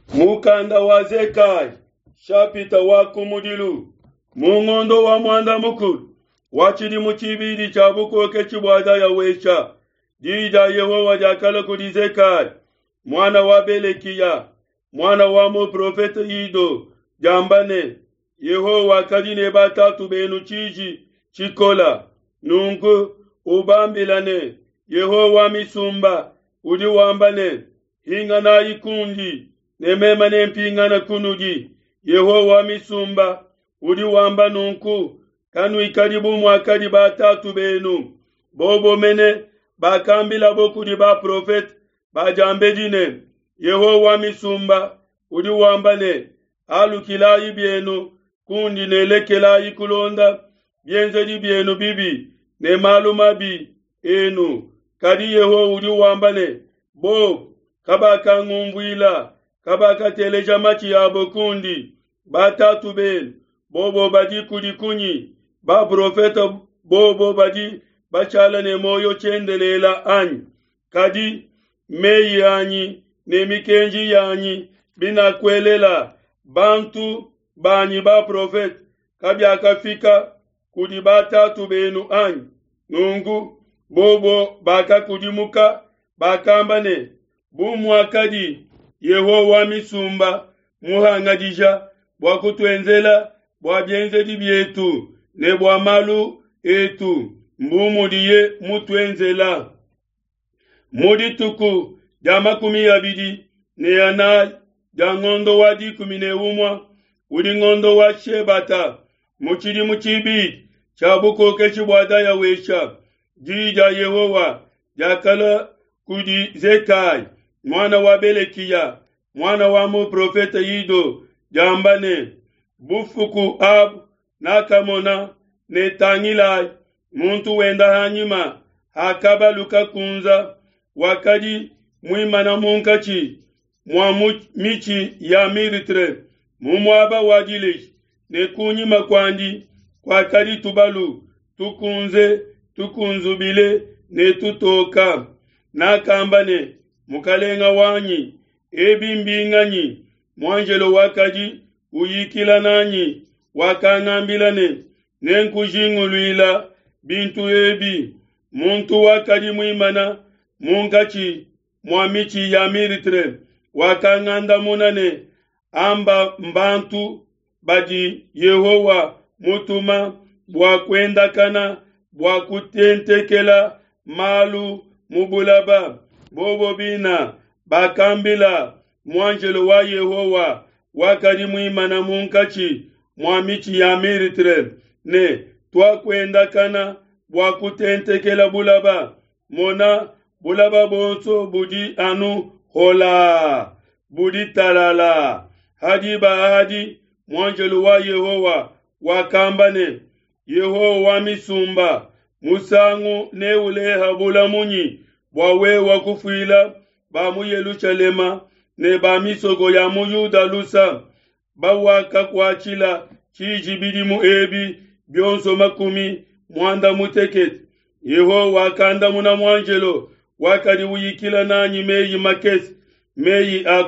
Mukanda wa Zekaya shapita wa kumudilu mu ngondo wa muanda mukulu wa tshidimu tshibidi tshia bukokeshi bua Dayawesha, diyi dia Yehowa diakalua kudi Zekaya muana wa Belekiya muana wa muprofete Ido diamba ne, Yehowa wakadi ne batatu benu tshiji tshikola. Nunku ubambila ne, Yehowa wa misumba udi wamba ne, Hinganayi kundi, ne meme nempingane kunudi. Yehowa wa misumba udi wamba nunku, kanuikadi bu muakadi batatu benu, bobo mene bakambilabo kudi baprofete ba diambedi ne, Yehowa wa misumba udi wamba ne, Alukilayi bienu kundi ne lekelayi kulonda bienzedi bienu bibi ne malu mabi enu. Kadi Yehowa udi wamba ne, Bobo kabakangunvuila, kabakateleja matshi abo kundi. Batatu benu bobo badi kudi kunyi? Baprofete bobo badi bashala ne muoyo tshiendelele anyi? Kadi meyi anyi ne mikenji yanyi binakuelela bantu banyi baprofete kabiakafika kudi batatu benu anyi? Nunku bobo bakakudimuka, bakamba ne, Bu muakadi Yehowa wa misumba muhangadija bua kutuenzela bua bienzedi bietu ne bua malu etu, mbu mudiye mutuenzela. Mu dituku dia 24 dia ngondo wa 11, udi ngondo wa Shebata, mu tshidimu tshibidi tshia bukokeshi bua Dayawesha, diyi dia Yehowa diakalua kudi Zekaya muana wa Belekiya muana wa muprofete Ido diamba ne, Bufuku abu nakamona ne tangilayi, muntu wenda hanyima ha kabalu kakunza, wakadi muimana munkatshi mua mitshi ya myrtle mu muaba wa dileji, ne kunyima kuandi kuakadi tubalu tukunze tukunzubile ne tutoka. Nakamba ne, Mukalenga wanyi, ebi mbinganyi? Muanjelo wakadi uyikila nanyi wakangambila ne, Nenkujinguluila bintu ebi. Muntu wakadi muimana munkatshi mua mitshi ya myrtle wakangandamuna ne, Amba mbantu badi Yehowa mutuma bua kuendakana bua kutentekela malu mu bulaba. Bobo bina bakambila muanjelo wa Yehowa wakadi muimana munkatshi mua mitshi ya myrtle ne, Tuakuendakana bua kutentekela bulaba. Mona, bulaba buonso budi anu holaa, budi talalaa. Ha diba adi muanjelo wa Yehowa wakamba ne, Yehowa wa misumba, musangu neuleha bula munyi bua wewa kufuila ba mu Yelushalema ne ba misoko ya mu Yuda lusa, bawakakuatshila tshiji bidimu ebi bionso 80? Yehowa wakandamuna muanjelo wakadi uyikila nanyi meyi makese, meyi a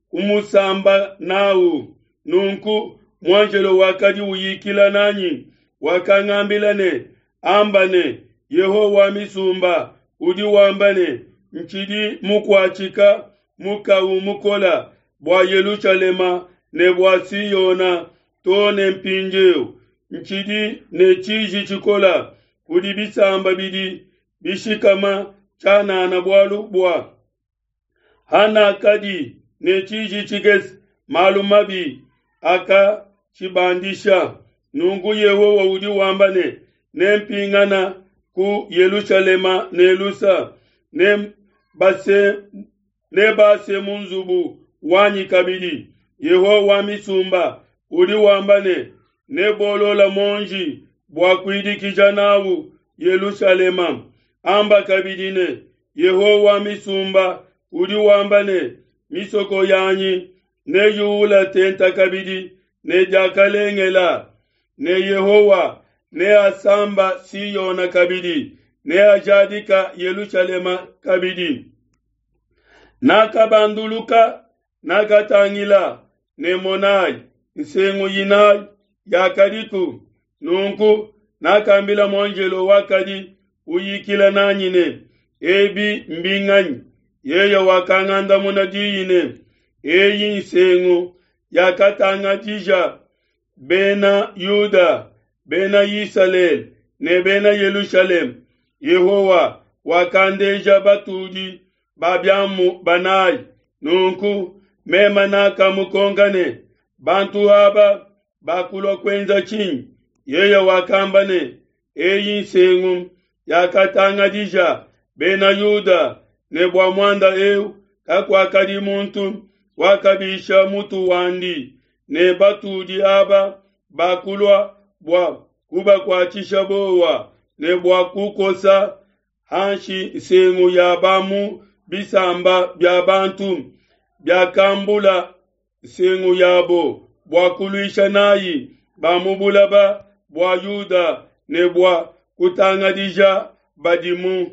kumusamba nawu. Nunku muanjelo wakadi uyikila nanyi wakangambila ne, Amba ne, Yehowa wa misumba udi wamba ne, Ntshidi mukuatshika mukawu mukola bua Yelushalema ne bua Siona too ne mpindieu. Ntshidi ne tshiji tshikola kudi bisamba bidi bishikama tshianana bualu bua hanakadi ne tshiji tshikese, malu mabi akatshibandisha. Nunku Yehowa udi wamba ne, Nempingana ku Yelushalema ne lusa, nebase mu nzubu wanyi kabidi. Yehowa wa misumba udi wamba ne, Nebolola muonji bua kuidikija nawu Yelushalema. Amba kabidi ne, Yehowa wa misumba udi wamba ne, Misoko yanyi neyuula tenta kabidi ne diakalengela, ne Yehowa neasamba Siona kabidi, neajadika Yelushalema kabidi. Nakabanduluka. Nakatangila, ne monai, nsengu inai yakadiku. Nunku nakambila muanjelo wakadi uyikila nanyi ne, Ebi mbinganyi? Yeye wakangandamuna diyi ne, Eyi nsengu yakatangadija Bena Yuda, Bena Isalele ne Bena Yelushalema. Yehowa wakandeja batudi ba biamu banayi. Nunku meme nakamukonka ne, Bantu aba bakulua kuenza tshinyi? Yeye wakamba ne, Eyi nsengu yakatangadija Bena Yuda, ne bua muanda eu kakuakadi muntu wakabisha mutu wandi, ne batudi aba bakulua bua kubakuatshisha buowa ne bua kukosa hanshi nsengu ya ba mu bisamba bia bantu biakambula nsengu yabo bua kuluisha nayi ba mu bulaba bua Yuda ne bua kutangadija badimu.